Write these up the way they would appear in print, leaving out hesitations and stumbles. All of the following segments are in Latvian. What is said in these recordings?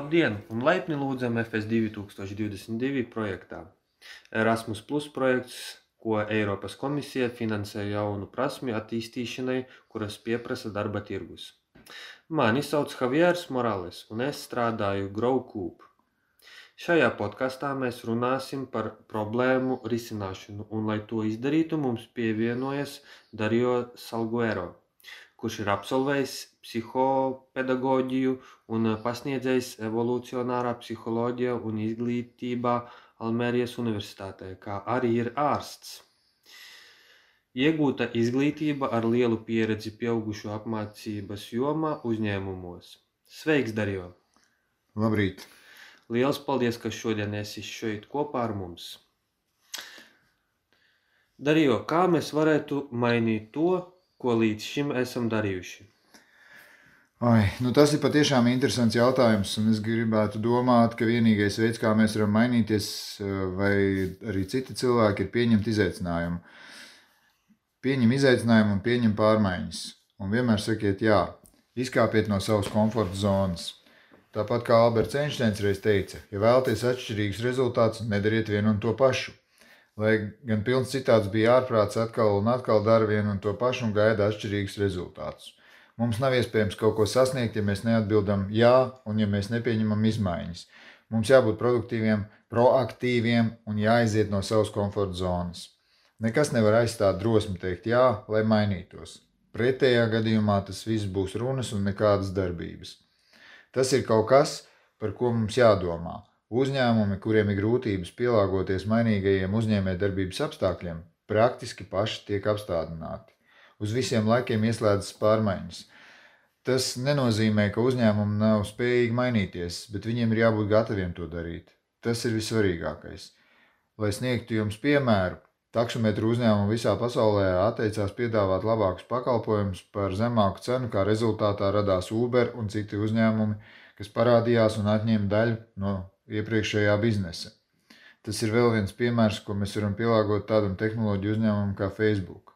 Labdien un laipni lūdzam FS 2022 projektā. Erasmus Plus projekts, ko Eiropas komisija finansē jaunu prasmju attīstīšanai, kuras pieprasa darba tirgus. Mani sauc Javiers Morales un es strādāju GrowCube. Šajā podkastā mēs runāsim par problēmu risināšanu, un lai to izdarītu, mums pievienojas Dario Salguero, kurš ir absolvējis psihopedagoģiju un pasniedzējis evolucionārā psiholoģija un izglītībā Almērijas universitātē, kā arī ir ārsts. Iegūta izglītība ar lielu pieredzi pieaugušo apmācības jomā uzņēmumos. Sveiks, Dario! Labrīt! Liels paldies, ka šodien esi šeit kopā ar mums. Dario, kā mēs varētu mainīt to, ko līdz šim esam darījuši? Tas ir patiešām interesants jautājums, un es gribētu domāt, ka vienīgais veids, kā mēs varam mainīties, vai arī citi cilvēki, ir pieņemt izaicinājumu. Pieņem izaicinājumu un pieņem pārmaiņas. Un vienmēr sakiet jā, izkāpiet no savas komforta zonas. Tāpat kā Alberts Einsteins reiz teica, ja vēlaties atšķirīgus rezultātus, nedariet vienu un to pašu. Lai gan pilns citāds bija ārprāts atkal un atkal dara vienu un to pašu un gaida atšķirīgus rezultātus. Mums nav iespējams kaut ko sasniegt, ja mēs neatbildam jā un ja mēs nepieņemam izmaiņas. Mums jābūt produktīviem, proaktīviem un jāiziet no savas komforta zonas. Nekas nevar aizstāt drosmi teikt jā, lai mainītos. Pretējā gadījumā tas viss būs runas un nekādas darbības. Tas ir kaut kas, par ko mums jādomā. Uzņēmumi, kuriem ir grūtības pielāgoties mainīgajiem uzņēmējdarbības apstākļiem, praktiski paši tiek apstādināti. Uz visiem laikiem ieslēdzas pārmaiņas. Tas nenozīmē, ka uzņēmumi nav spējīgi mainīties, bet viņiem ir jābūt gataviem to darīt. Tas ir vissvarīgākais. Lai sniegtu jums piemēru, taksometru uzņēmumi visā pasaulē atteicās piedāvāt labākus pakalpojumus par zemāku cenu, kā rezultātā radās Uber un citi uzņēmumi, kas parādījās un atņēma daļu no iepriekšējā biznesa. Tas ir vēl viens piemērs, ko mēs varam pielāgot tādam tehnoloģiju uzņēmumam kā Facebook.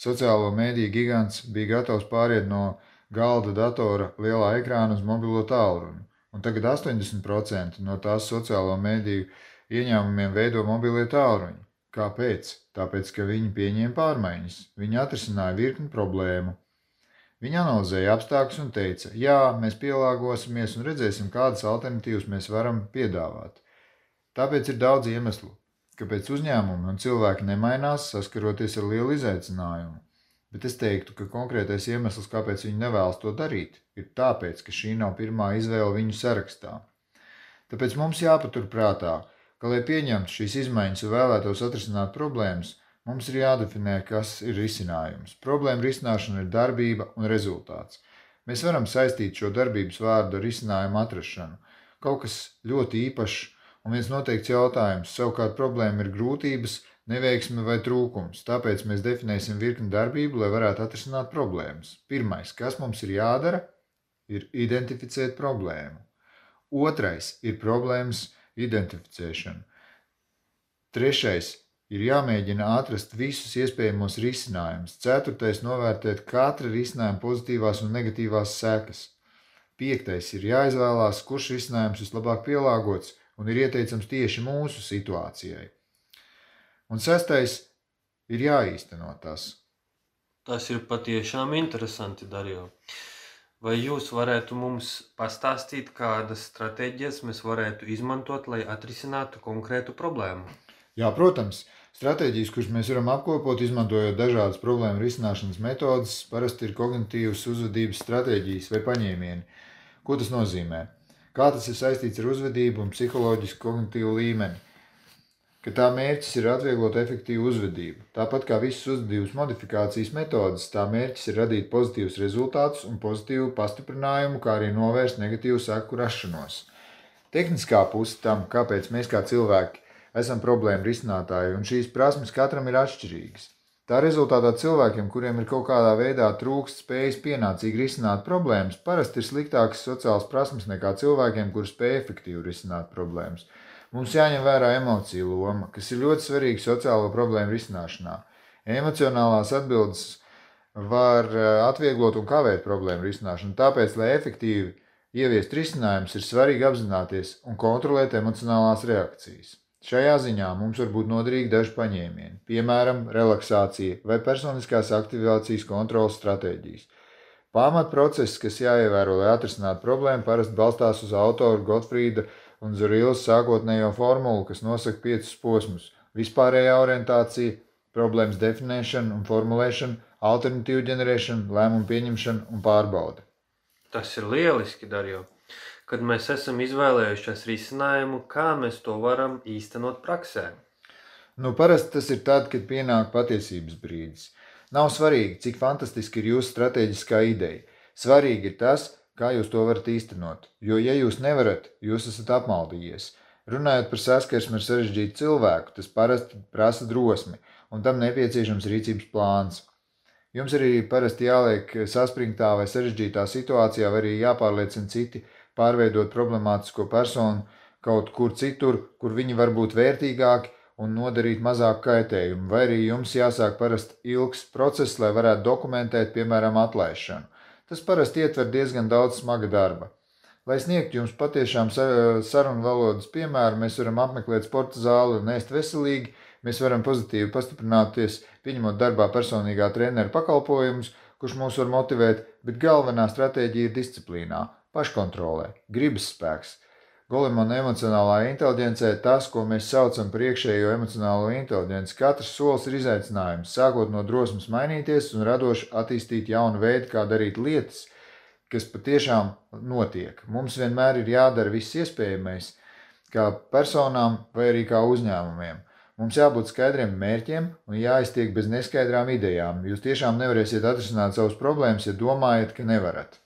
Sociālo mēdīju gigants bija gatavs pāriet no galda datora lielā ekrāna uz mobilo tālruni, un tagad 80% no tās sociālo mēdīju ieņēmumiem veido mobilie tālruņi. Kāpēc? Tāpēc, ka viņi pieņēma pārmaiņas. Viņi atrisināja virkni problēmu. Viņi analizēja apstākļus un teica, jā, mēs pielāgosimies un redzēsim, kādas alternatīvas mēs varam piedāvāt. Tāpēc ir daudz iemeslu, kāpēc uzņēmumi un cilvēki nemainās, saskaroties ar lielu izaicinājumu. Bet es teiktu, ka konkrētais iemesls, kāpēc viņi nevēlas to darīt, ir tāpēc, ka šī nav pirmā izvēle viņu sarakstā. Tāpēc mums jāpatur prātā, ka, lai pieņemtu šīs izmaiņas un vēlētos atrisināt problēmas, mums ir jādefinē, kas ir risinājums. Problēma risināšana ir darbība un rezultāts. Mēs varam saistīt šo darbības vārdu ar risinājumu atrašanu. Kaut kas ļoti īpašs un viens noteikts jautājums, savukārt problēma ir grūtības, neveiksme vai trūkums. Tāpēc mēs definēsim virkni darbību, lai varētu atrisināt problēmas. Pirmais, kas mums ir jādara, ir identificēt problēmu. Otrais ir problēmas identificēšana. Trešais ir jāmēģina atrast visus iespējamos risinājumus. Ceturtais novērtēt katra risinājuma pozitīvās un negatīvās sekas. Piektais ir jāizvēlās, kurš risinājums vislabāk pielāgots un ir ieteicams tieši mūsu situācijai. Un sestais ir jāīsteno tas. Tas ir patiešām interesanti, Dario. Vai jūs varētu mums pastāstīt, kādas stratēģijas mēs varētu izmantot, lai atrisinātu konkrētu problēmu? Jā, protams, stratēģijas, kuras mēs varam apkopot, izmantojot dažādas problēmu risināšanas metodes, parasti ir kognitīvas uzvedības stratēģijas vai paņēmieni. Ko tas nozīmē? Kā tas ir saistīts ar uzvedību un psiholoģisku kognitīvu līmeni? Ka tā mērķis ir atvieglot efektīvu uzvedību. Tāpat kā visas uzvedības modifikācijas metodes, tā mērķis ir radīt pozitīvus rezultātus un pozitīvu pastiprinājumu, kā arī novērst negatīvu seku rašanos. Tehniskā puse tam, kāpēc mēs kā cilvēki esam problēmu risinātāji, un šīs prasmes katram ir atšķirīgas. Tā rezultātā cilvēkiem, kuriem ir kaut kādā veidā trūkst spējas pienācīgi risināt problēmas, parasti ir sliktākas sociālas prasmes nekā cilvēkiem, kuri spēj efektīvi risināt problēmas. Mums jāņem vērā emociju loma, kas ir ļoti svarīga sociālo problēmu risināšanā. Emocionālās atbildes var atvieglot un kavēt problēmu risināšanu, tāpēc, lai efektīvi ieviest risinājumus, ir svarīgi apzināties un kontrolēt emocionālās reakcijas. Šajā ziņā mums var būt noderīgi daži paņēmieni, piemēram, relaksācija vai personiskās aktivācijas kontrolas stratēģijas. Pamatprocess, kas jāievēro, lai atrisinātu problēmu, parasti balstās uz autoru Gotfrīda un Zurilas sākotnējo formulu, kas nosaka 5 posmus – vispārējā orientācija, problēmas definēšana un formulēšana, alternatīvu ģenerēšana, lēmumu pieņemšana un pārbaude. Tas ir lieliski, Darjo. Kad mēs esam izvēlējušies risinājumu, kā mēs to varam īstenot praksē? Parasti tas ir tad, kad pienāk patiesības brīdis. Nav svarīgi, cik fantastiski ir jūsu stratēģiskā ideja. Svarīgi ir tas, kā jūs to varat īstenot, jo, ja jūs nevarat, jūs esat apmaldījies. Runājot par saskarsmi ar sarežģītu cilvēku, tas parasti prasa drosmi, un tam nepieciešams rīcības plāns. Jums arī parasti jāliek saspringtā vai sarežģītā situācijā, vai arī jāpārliecina citi pārveidot problemātisko personu kaut kur citur, kur viņi var būt vērtīgāki un nodarīt mazāk kaitējumu, vai arī jums jāsāk parasti ilgs process, lai varētu dokumentēt, piemēram, atlaišanu. Tas parasti ietver diezgan daudz smaga darba. Lai sniegtu jums patiešām sarunu valodas piemēru, mēs varam apmeklēt sporta zāli un ēst veselīgi, mēs varam pozitīvi pastiprināties, pieņemot darbā personīgā trenera pakalpojumus, kurš mūs var motivēt, bet galvenā stratēģija ir disciplīnā, paškontrolē, gribas spēks. Golemana emocionālā inteliģencē tas, ko mēs saucam par iekšējo emocionālo inteliģenci. Katrs solis ir izaicinājums, sākot no drosmes mainīties un radoši attīstīt jaunu veidu, kā darīt lietas, kas patiešām notiek. Mums vienmēr ir jādara viss iespējamais, kā personām vai arī kā uzņēmumiem. Mums jābūt skaidriem mērķiem un jāiztiek bez neskaidrām idejām. Jūs tiešām nevarēsiet atrisināt savas problēmas, ja domājat, ka nevarat.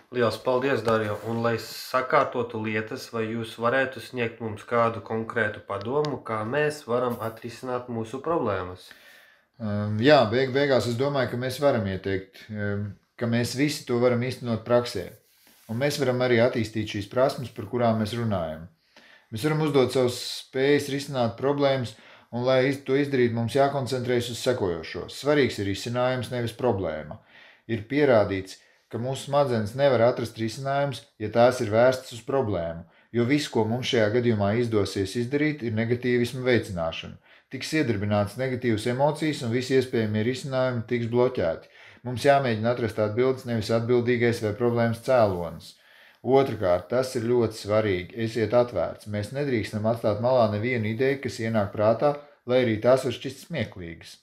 Liels paldies, Darjo, un lai sakārtotu lietas, vai jūs varētu sniegt mums kādu konkrētu padomu, kā mēs varam atrisināt mūsu problēmas? Jā, beigās es domāju, ka mēs varam ieteikt, ka mēs visi to varam īstenot praksē. Un mēs varam arī attīstīt šīs prasmes, par kurām mēs runājam. Mēs varam uzdot savas spējas risināt problēmas, un lai to izdarītu, mums jākoncentrējas uz sekojošo. Svarīgs ir risinājums, nevis problēma. Ir pierādīts, ka mūsu smadzenes nevar atrast risinājums, ja tās ir vērstas uz problēmu, jo viss, ko mums šajā gadījumā izdosies izdarīt, ir negatīvisma veicināšana. Tiks iedarbināts negatīvas emocijas un visi iespējamie risinājumi tiks bloķēti. Mums jāmēģina atrast atbildes, nevis atbildīgais vai problēmas cēlonis. Otrakārt, tas ir ļoti svarīgi. Esiet atvērts. Mēs nedrīkstam atstāt malā nevienu ideju, kas ienāk prātā, lai arī tās var šķist smieklīgas.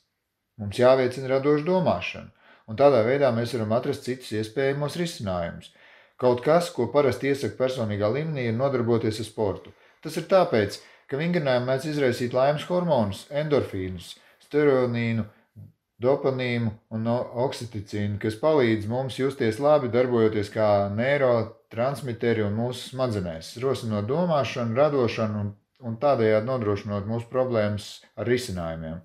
Mums jāveicina radoša domāšana. Un tādā veidā mēs varam atrast citus iespējamos risinājumus. Kaut kas, ko parasti iesaka personīgā līmenī, ir nodarboties ar sportu. Tas ir tāpēc, ka vingrinājumi mēdz izraisīt laimes hormonus, endorfīnus, steroīnu, dopamīnu un oksiticīnu, kas palīdz mums justies labi, darbojoties kā neurotransmiteri un mūsu smadzenēs, rosinot domāšanu, radošanu un tādējādi nodrošinot mūsu problēmas ar risinājumiem.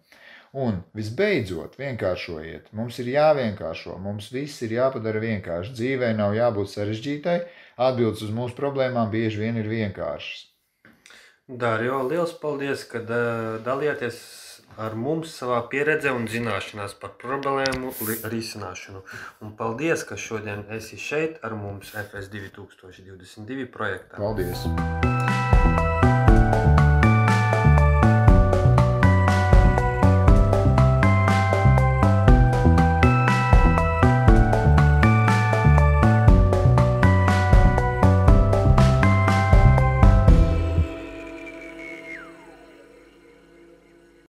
Un, visbeidzot, vienkāršojiet. Mums ir jāvienkāršo. Mums viss ir jāpadara vienkārši. Dzīvē nav jābūt sarežģītai. Atbildes uz mūsu problēmām bieži vien ir vienkāršas. Darjo, liels paldies, ka dalījāties ar mums savā pieredzē un zināšanās par problēmu risināšanu. Un paldies, ka šodien esi šeit ar mums FS 2022 projektā. Paldies!